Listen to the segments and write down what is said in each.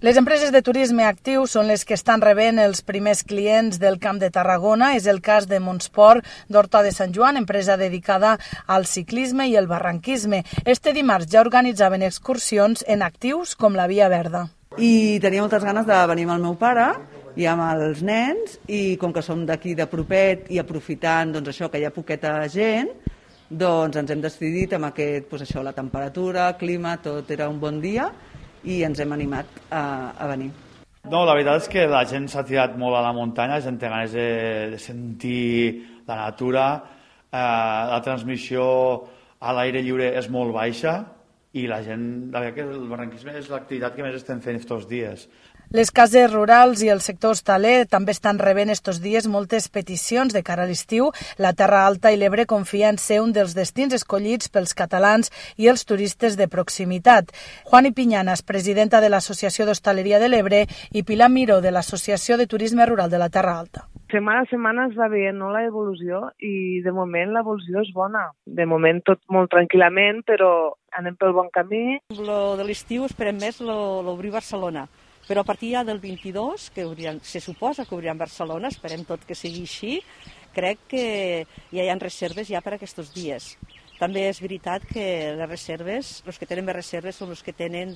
Les empreses de turisme actiu són les que estan rebent els primers clients del Camp de Tarragona. És el cas de Montsport d'Horta de Sant Joan, empresa dedicada al ciclisme i el barranquisme. Este dimarts ja organitzaven excursions en actius com la Via Verda. I tenia moltes ganes de venir amb el meu pare i amb els nens, i com que som d'aquí de propet i aprofitant això que hi ha poqueta gent, doncs ens hem decidit amb aquest, la temperatura, el clima, tot era un bon dia, i ens hem animat a venir. No, la veritat és que la gent s'ha tirat molt a la muntanya, la gent té ganes de sentir la natura, la transmissió a l'aire lliure és molt baixa i la gent, la veritat que el barranquisme és l'activitat que més estem fent aquests dies. Les cases rurals i el sector hostaler també estan rebent estos dies moltes peticions de cara a l'estiu. La Terra Alta i l'Ebre confia en ser un dels destins escollits pels catalans i els turistes de proximitat. Juani Piñanas, presidenta de l'Associació d'Hostaleria de l'Ebre, i Pilar Miró, de l'Associació de Turisme Rural de la Terra Alta. Setmana a setmana es va veient l'evolució i de moment l'evolució és bona. De moment tot molt tranquil·lament, però anem pel bon camí. Lo de l'estiu esperem més l'obrir Barcelona. Però a partir ja del 22, que se suposa que obriran Barcelona, esperem tot que sigui així, crec que ja hi ha reserves ja per aquests dies. També és veritat que les reserves, els que tenen més reserves són els que tenen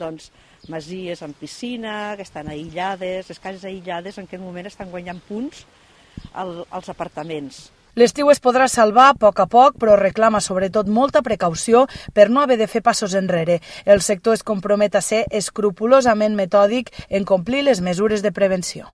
masies amb piscina, que estan aïllades, les cases aïllades en aquest moment estan guanyant punts als apartaments. L'estiu es podrà salvar a poc, però reclama sobretot molta precaució per no haver de fer passos enrere. El sector es compromet a ser escrupolosament metòdic en complir les mesures de prevenció.